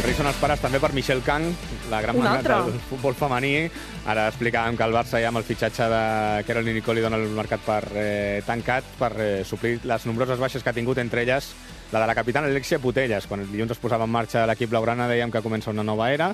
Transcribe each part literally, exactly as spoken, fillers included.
Aterrissen els pares també per Michelle Kang, la gran magnat del futbol femení. Ara explicàvem que el Barça ja amb el fitxatge de Caroline Nicoli dona el mercat per eh, tancat per eh, suplir les nombroses baixes que ha tingut, entre elles la de la capitana Alexia Putellas. Quan el dilluns es posava en marxa l'equip blaugrana dèiem que comença una nova era,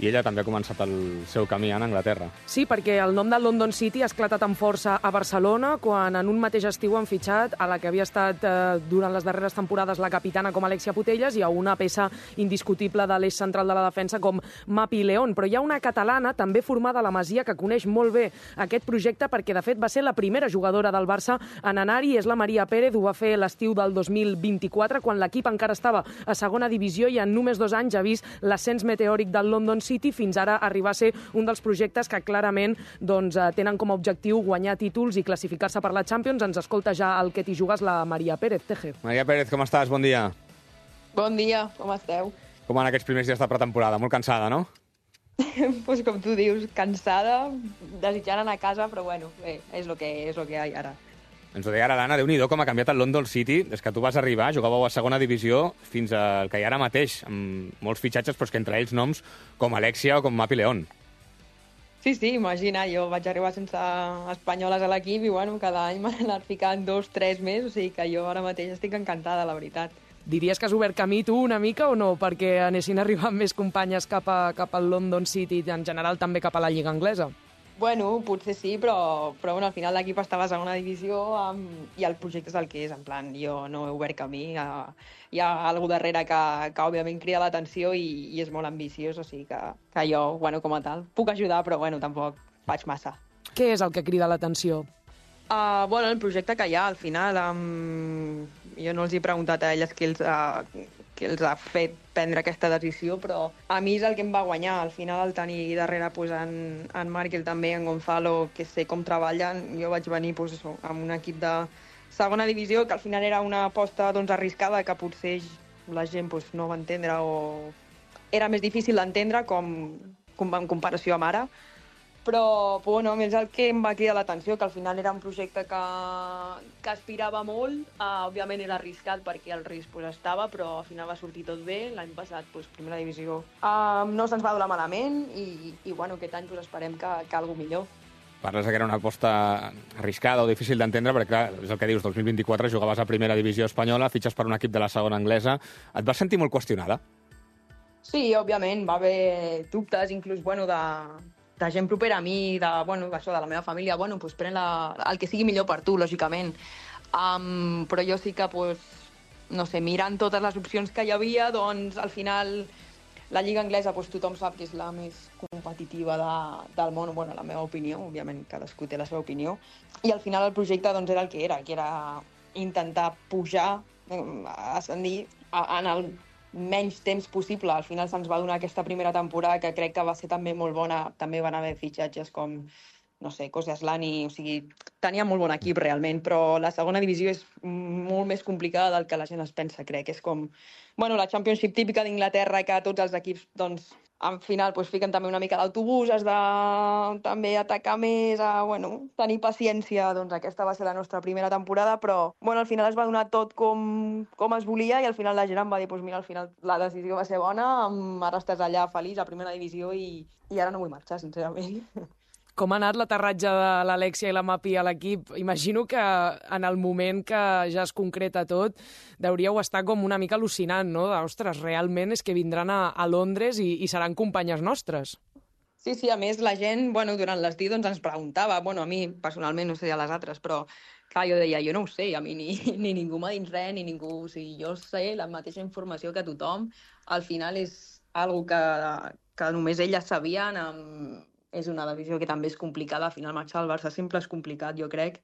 i ella també ha començat el seu camí en Anglaterra. Sí, perquè el nom del London City ha esclatat amb força a Barcelona quan en un mateix estiu han fitxat a la que havia estat eh, durant les darreres temporades la capitana com Alexia Putellas i a una peça indiscutible de l'eix central de la defensa com Mapi León. Però hi ha una catalana també formada a la Masia que coneix molt bé aquest projecte perquè de fet va ser la primera jugadora del Barça en anar-hi, és la Maria Pérez, ho va fer l'estiu del dos mil vint-i-quatre quan l'equip encara estava a segona divisió i en només dos anys ha vist l'ascens meteòric del London City fins ara arribar a ser un dels projectes que clarament doncs, tenen com a objectiu guanyar títols i classificar-se per la Champions. Ens escolta ja el que t'hi jugues la Maria Pérez. Teje. Maria Pérez, com estàs? Bon dia. Bon dia, com esteu? Com van aquests primers dies de pretemporada? Molt cansada, no? Pues com tu dius, cansada, desitjant anar a casa, però bueno, bé, és el que, és el que hi ha ara. Ens ho deia ara l'Anna, Déu-n'hi-do com ha canviat el London City des que tu vas arribar, jugàveu a segona divisió fins al que hi ha ara mateix, amb molts fitxatges, però és que entre ells noms com Alexia o com Mapi León. Sí, sí, imagina, jo vaig arribar sense espanyoles a l'equip i bueno, cada any m'han anat ficant dos, tres més, o sigui que jo ara mateix estic encantada, la veritat. Diries que has obert camí tu una mica o no, perquè anessin arribant més companyes cap, a, cap al London City i en general també cap a la Lliga Anglesa? Bueno, potser sí, però, però bueno, al final l'equip estava a segona divisió um, i el projecte és el que és, en plan, jo no he obert camí, hi ha, hi ha algú darrere que, que òbviament crida l'atenció i, i és molt ambiciós, o sigui que, que jo, bueno, com a tal, puc ajudar, però bueno, tampoc faig massa. Què és el que crida l'atenció? Uh, bueno, el projecte que hi ha, al final, um, jo no els he preguntat a elles què els, uh, què els ha fet prendre aquesta decisió, però a mi és el que em va guanyar. Al final, el tenir darrere pues, en, en Markel també, en Gonzalo, que sé com treballen, jo vaig venir pues, això, amb un equip de segona divisió, que al final era una aposta doncs, arriscada, que potser la gent pues, no va entendre o era més difícil d'entendre com, com en comparació amb ara. Però, bueno, és el que em va cridar l'atenció, que al final era un projecte que, que aspirava molt. Uh, òbviament era arriscat perquè el risc pues, estava, però al final va sortir tot bé. L'any passat, pues, primera divisió, uh, no se'ns va donar malament i, i bueno, aquest any pues, esperem que, que alguna millor. Parles que era una aposta arriscada o difícil d'entendre, perquè clar, és el que dius, dos mil vint-i-quatre jugaves a primera divisió espanyola, fitxes per un equip de la segona anglesa. Et vas sentir molt qüestionada? Sí, òbviament, va haver dubtes, inclús, bueno, de... de gent propera a mi, de, bueno, això, de la meva família, bueno, pues, pren la, el que sigui millor per tu, lògicament. Um, però jo sí que, pues, no sé, mirant totes les opcions que hi havia, doncs, al final, la Lliga Anglesa, pues, tothom sap que és la més competitiva de, del món, bueno, la meva opinió, òbviament, cadascú té la seva opinió, i al final el projecte, doncs, era el que era, que era intentar pujar, ascendir en el menys temps possible. Al final se'ns va donar aquesta primera temporada que crec que va ser també molt bona. També van haver fitxatges com, no sé, Kosciuszlani, o sigui, tenia molt bon equip realment, però la segona divisió és molt més complicada del que la gent es pensa, crec. És com, bueno, la Championship típica d'Inglaterra, que tots els equips, doncs, al final pues, fiquen també una mica d'autobús, has de també atacar més, a, bueno, tenir paciència. Doncs aquesta va ser la nostra primera temporada, però bueno, al final es va donar tot com, com es volia i al final la gent em va dir pues, mira, al final la decisió va ser bona, ara estàs allà feliç a primera divisió i, i ara no vull marxar, sincerament. Com ha anat l'aterratge de l'Alexia i la Mapi a l'equip? Imagino que en el moment que ja es concreta tot deuríeu estar com una mica al·lucinant, no? Ostres, realment és que vindran a, a Londres i, i seran companyes nostres. Sí, sí, a més la gent, bueno, durant l'estiu doncs, ens preguntava, bueno, a mi personalment, no sé a les altres, però clar, jo deia, jo no ho sé, a mi ni, ni ningú m'ha dit res, ni ningú, o sigui, jo sé la mateixa informació que tothom, al final és algo que, que només elles sabien, amb és una divisió que també és complicada, al final marxar al Barça sempre és complicat, jo crec.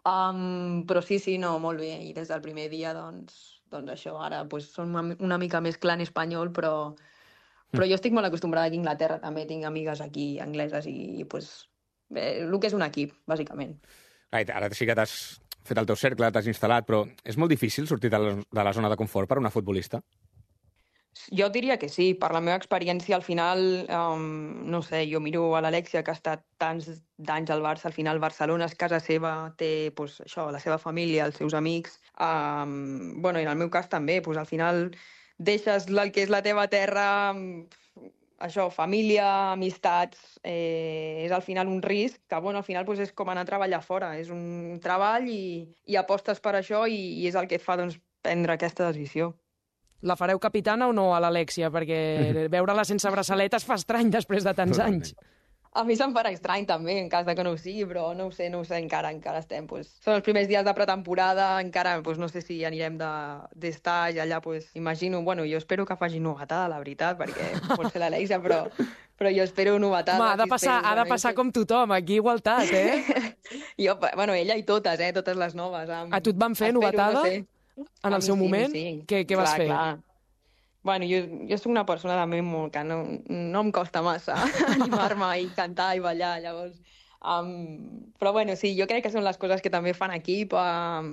Um, però sí, sí, no, molt bé, i des del primer dia, doncs, doncs això, ara pues, són una, una mica més clan espanyol, però, però jo estic molt acostumbrada aquí a Anglaterra, també tinc amigues aquí angleses i, i pues, bé, el que és un equip, bàsicament. Ara sí que t'has fet el teu cercle, t'has instal·lat, però és molt difícil sortir de la, de la zona de confort per a una futbolista? Jo diria que sí, per la meva experiència al final, um, no sé, jo miro a l'Alexia que ha estat tants d'anys al Barça, al final Barcelona és casa seva, té pues, això, la seva família, els seus amics, um, bueno, i en el meu cas també, pues, al final deixes el que és la teva terra, això, família, amistats, eh, és al final un risc que, bueno, al final pues, és com anar a treballar fora. És un treball i, i apostes per això i, i és el que et fa doncs, prendre aquesta decisió. La fareu capitana o no a l'Alexia? Perquè veure-la sense braçaletes fa estrany després de tants anys. A mi se'm farà estrany també, en cas de que no ho sigui, però no ho sé, no ho sé encara, encara estem. Pues, són els primers dies de pretemporada, encara pues, no sé si anirem d'estar i allà, pues, imagino, bueno, jo espero que faci novetada, la veritat, perquè pot ser l'Alexia, però, però jo espero novetada. Home, ha de passar, ha de passar com tothom, aquí igualtat, eh? jo, bueno, ella i totes, eh, totes les noves. Amb... A tu et van fer espero, novetada? No sé. En el seu sí, moment? Sí. Què, què vas clar, fer? Clar. Bueno, jo, jo soc una persona també molt que no, no em costa massa animar-me i cantar i ballar, llavors... Um, però bueno, sí, jo crec que són les coses que també fan equip, um,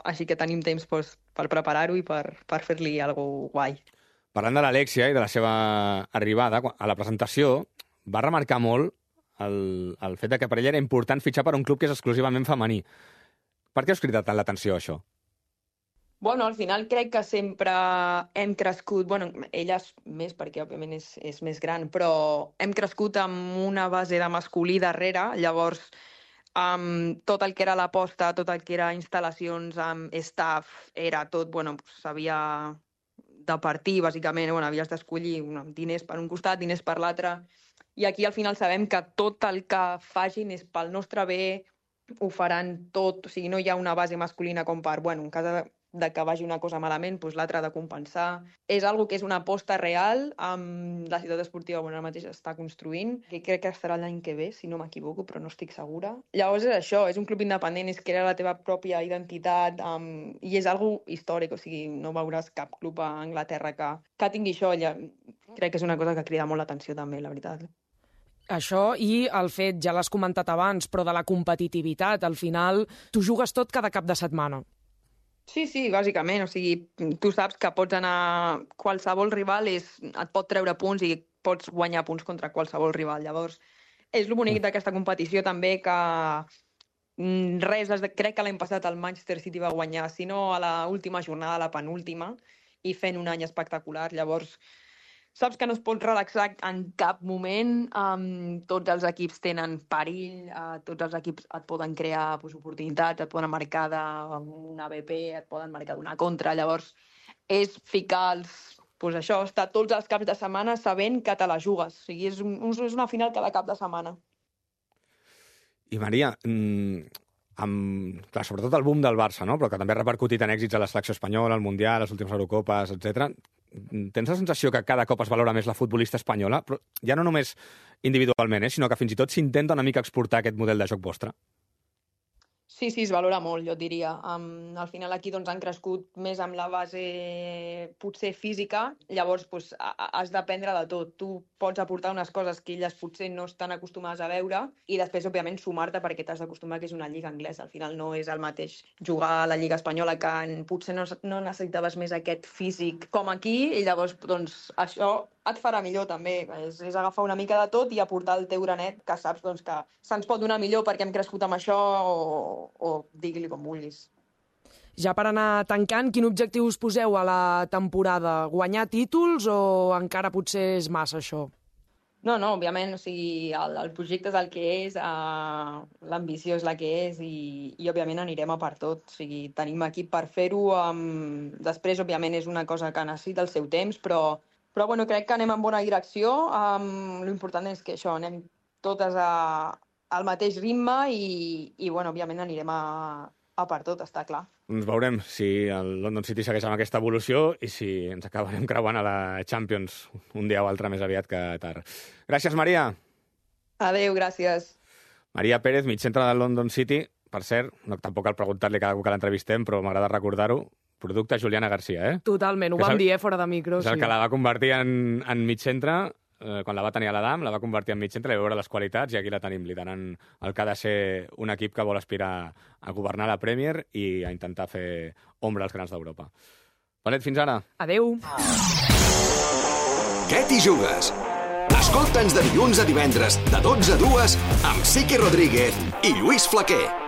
així que tenim temps pues, per preparar-ho i per, per fer-li alguna guai. Parlant de l'Alexia i de la seva arribada, a la presentació va remarcar molt el, el fet de que per ella era important fitxar per un club que és exclusivament femení. Per què us crida tant l'atenció, això? Bueno, al final crec que sempre hem crescut, bueno, ella és més perquè òbviament és, és més gran, però hem crescut amb una base de masculí darrere, llavors amb tot el que era l'aposta, tot el que era instal·lacions amb staff, era tot, bueno, s'havia de partir, bàsicament, bueno, havies d'escollir diners per un costat, diners per l'altre, i aquí al final sabem que tot el que facin és pel nostre bé, ho faran tot, o sigui, no hi ha una base masculina com per, bueno, en cas de de que vagi una cosa malament, doncs l'altra ha de compensar. És algo que és una aposta real, amb la ciutat esportiva bueno, ara mateix està construint, que crec que estarà l'any que ve, si no m'equivoco, però no estic segura. Llavors és això, és un club independent, és crear la teva pròpia identitat, um, i és algo històric, o sigui, no veuràs cap club a Anglaterra que, que tingui això. Ja, crec que és una cosa que crida molt l'atenció també, la veritat. Això i el fet, ja l'has comentat abans, però de la competitivitat, al final tu jugues tot cada cap de setmana. Sí, sí, bàsicament. O sigui, tu saps que pots anar... Qualsevol rival és, et pot treure punts i pots guanyar punts contra qualsevol rival. Llavors, és el bonic d'aquesta competició també que res, crec que l'any passat el Manchester City va guanyar, si no a l'última jornada, a la penúltima, i fent un any espectacular. Llavors, saps que no es pot relaxar en cap moment, um, tots els equips tenen perill, uh, tots els equips et poden crear pues, oportunitats, et poden marcar d'una B P, et poden marcar d'una contra, llavors és ficar els... Pues això, estar tots els caps de setmana sabent que te la jugues, o sigui, és, un, és una final cada cap de setmana. I Maria, mmm, amb, clar, sobretot el boom del Barça, no? Però que també ha repercutit en èxits a la selecció espanyola, al Mundial, les últimes Eurocopes, etcètera. Tens la sensació que cada cop es valora més la futbolista espanyola, però ja no només individualment, eh, sinó que fins i tot s'intenta una mica exportar aquest model de joc vostre? Sí, sí, es valora molt, jo et diria. Um, al final aquí doncs, han crescut més amb la base potser física, llavors pues, has d'aprendre de tot. Tu pots aportar unes coses que elles potser no estan acostumades a veure i després, òbviament, sumar-te perquè t'has d'acostumar que és una lliga anglesa. Al final no és el mateix jugar a la lliga espanyola que potser no, no necessitaves més aquest físic com aquí i llavors doncs, això et farà millor també. És, és agafar una mica de tot i aportar el teu granet que saps doncs, que se'ns pot donar millor perquè hem crescut amb això o, o digui-li com vulguis. Ja per anar tancant, quin objectiu us poseu a la temporada? Guanyar títols o encara potser és massa això? No, no, òbviament, o sigui, el, el projecte és el que és, uh, l'ambició és la que és i, i òbviament anirem a per tot. O sigui, tenim equip per fer-ho. Um, després, òbviament, és una cosa que necessita el seu temps, però Però bueno, crec que anem en bona direcció. Um, L'important és que això, anem totes a, al mateix ritme i, i bueno, òbviament anirem a, a per tot, està clar. Doncs veurem si el London City segueix amb aquesta evolució i si ens acabarem creuant a la Champions un dia o altre més aviat que tard. Gràcies, Maria. Adéu, gràcies. Maria Pérez, mitjantre del London City. Per cert, no, tampoc cal preguntar-li cada cop que l'entrevistem, però m'agrada recordar-ho. Producte Juliana Garcia, eh? Totalment, ho vam dir, eh, fora de micro. És el sí. que la va convertir en, en mitjantre, eh, quan la va tenir a l'Adam, la va convertir en mitjantre, i veure les qualitats, i aquí la tenim, liderant el que ha de ser un equip que vol aspirar a governar la Premier i a intentar fer ombra als grans d'Europa. Palet, fins ara. Adéu. Què t'hi jugues? Escolta'ns de dilluns a divendres, de dotze a dues, amb Siqui Rodríguez i Lluís Flaquer.